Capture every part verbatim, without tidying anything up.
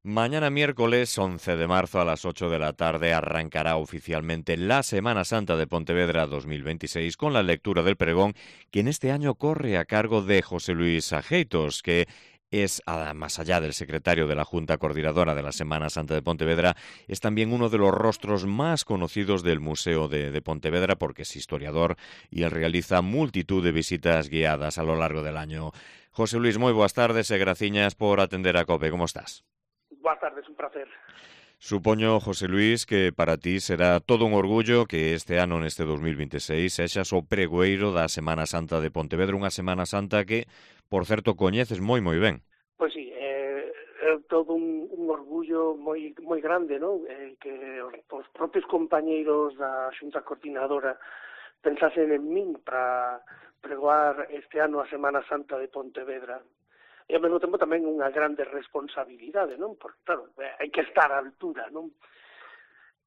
Mañana miércoles once de marzo a las ocho de la tarde arrancará oficialmente la Semana Santa de Pontevedra dos mil veintiséis con la lectura del pregón que en este año corre a cargo de José Luis Ajeitos, que es, más allá del secretario de la Junta Coordinadora de la Semana Santa de Pontevedra, es también uno de los rostros más conocidos del Museo de, de Pontevedra porque es historiador y él realiza multitud de visitas guiadas a lo largo del año. José Luis, moi boas tardes e graciñas por atender a COPE. Como estás? Boas tardes, un placer. Supoño, José Luis, que para ti será todo un orgullo que este ano, neste dos mil veintiséis, sexas o pregoeiro da Semana Santa de Pontevedra, unha Semana Santa que, por certo, coñeces moi moi ben. Pois sí, é, é todo un, un orgullo moi moi grande, non? Eh, que os, os propios compañeiros da Xunta Coordinadora pensasen en min para pregoar este ano a Semana Santa de Pontevedra. E ao mesmo tempo tamén unha grande responsabilidade, non? Porque, claro, hai que estar á altura, non?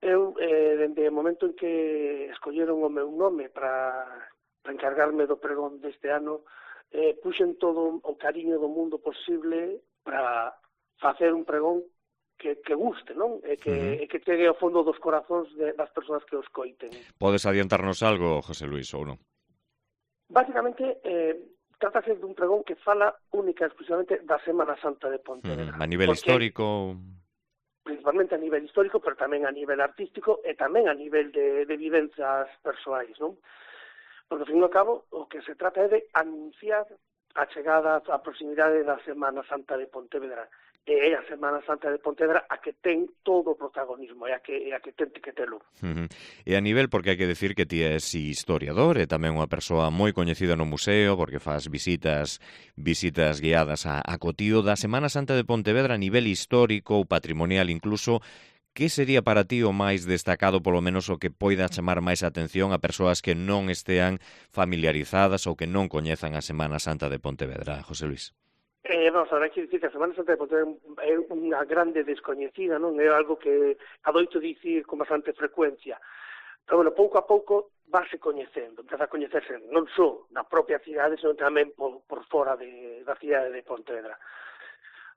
Eu, eh, dende o momento en que escolleron o meu nome para, para encargarme do pregón deste ano, eh, puxen todo o cariño do mundo posible para facer un pregón que, que guste, non? E que, uh-huh. e que chegue ao fondo dos corazóns de, das persoas que os coiten. Podes adiantarnos algo, José Luis, ou non? Básicamente, eh, trátase dun pregón que fala única e exclusivamente da Semana Santa de Pontevedra. Mm, a nivel histórico... Principalmente a nivel histórico, pero tamén a nivel artístico e tamén a nivel de, de vivencias persoais, non? Porque, ao fin e ao cabo, o que se trata é de anunciar a chegada, a proximidade da Semana Santa de Pontevedra. E é a Semana Santa de Pontevedra a que ten todo o protagonismo, e a que, e a que ten que telo. Uh-huh. E a nivel, porque hai que decir que ti és historiador e tamén unha persoa moi coñecida no museo, porque faz visitas visitas guiadas a, a cotío da Semana Santa de Pontevedra a nivel histórico ou patrimonial incluso, que sería para ti o máis destacado, polo menos o que poida chamar máis atención a persoas que non estean familiarizadas ou que non coñezan a Semana Santa de Pontevedra, José Luis? Eh, vamos, ahora hai que dicir que a Semana Santa de Pontevedra é unha grande descoñecida, non? É algo que adoito dicir con bastante frecuencia. Pero, bueno, pouco a pouco váse coñecendo, empeza a coñecerse non só na propia cidade, senón tamén por, por fora de, da cidade de Pontevedra.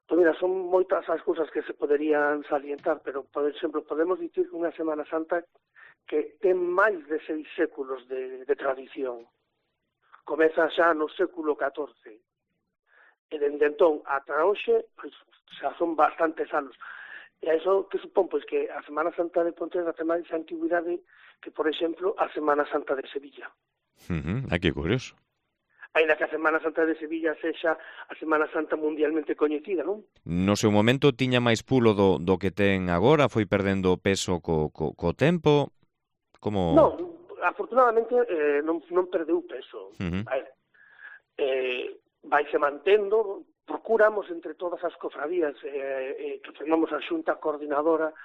Pois mira, son moitas as cousas que se poderían salientar, pero, por exemplo, podemos dicir que unha Semana Santa que ten máis de seis séculos de, de tradición. Comeza xa no século catorce. E dende entón ata hoxe, pois, xa son bastantes anos. E a iso que supón, pois, que a Semana Santa de Pontevedra ten máis antigüidade que, por exemplo, a Semana Santa de Sevilla. Uh-huh. Ah, que curioso. Ainda que a Semana Santa de Sevilla sexa a Semana Santa mundialmente coñecida, non? No seu momento tiña máis pulo do, do que ten agora, foi perdendo peso co, co, co tempo? Como... Non, afortunadamente eh, non, non perdeu peso. Uh-huh. Vale. Eh, vaise mantendo, procuramos entre todas as cofradías eh, eh, que formamos a Xunta Coordinadora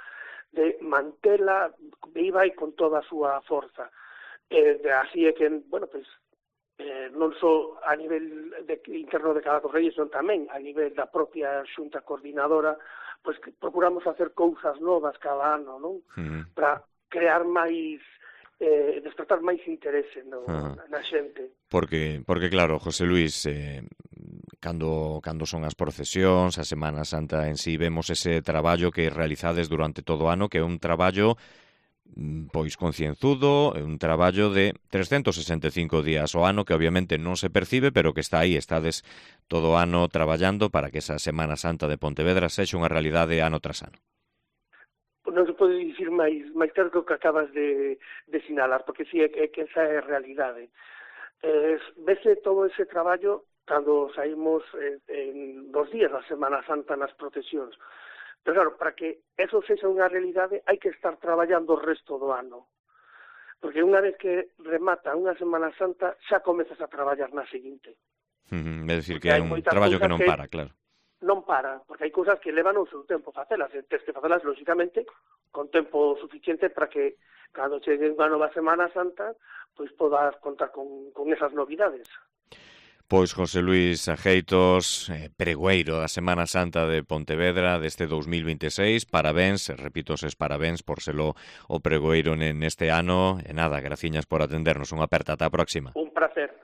de mantela viva e con toda a súa forza. Eh, de, así é que, bueno, pues, eh, non só a nivel de, interno de cada cofradía, senón tamén a nivel da propia Xunta Coordinadora, pues, que procuramos facer cousas novas cada ano, non? Uh-huh. Para crear máis... Eh, despertar máis interese no, uh-huh. na xente. Porque, porque claro, José Luis, eh, cando, cando son as procesións, a Semana Santa en sí, vemos ese traballo que realizades durante todo o ano, que é un traballo pois concienzudo, é un traballo de trescentos sesenta e cinco días ao ano que obviamente non se percibe, pero que está aí, estades todo o ano traballando para que esa Semana Santa de Pontevedra sexa unha realidade ano tras ano. Non se pode dicir máis, máis claro que o que acabas de, de sinalar, porque sí, é, é que esa é a realidade. Eh, vese todo ese traballo cando saímos eh, en dos días da Semana Santa nas procesións. Pero claro, para que eso sexa unha realidade hai que estar traballando o resto do ano. Porque unha vez que remata unha Semana Santa xa comezas a traballar na seguinte. Uh-huh. É dicir, que é un traballo que non para, claro. Non para, porque hai cousas que levan o seu tempo facelas, e tens que facelas, lógicamente, con tempo suficiente para que, cando chegue unha nova Semana Santa, pois podas contar con, con esas novidades. Pois José Luis Ajeitos, eh, pregoeiro da Semana Santa de Pontevedra deste dos mil veintiséis, parabéns, repito ses parabéns por selo o pregoeiro neste ano, e nada, graciñas por atendernos, unha aperta, ata a próxima. Un placer.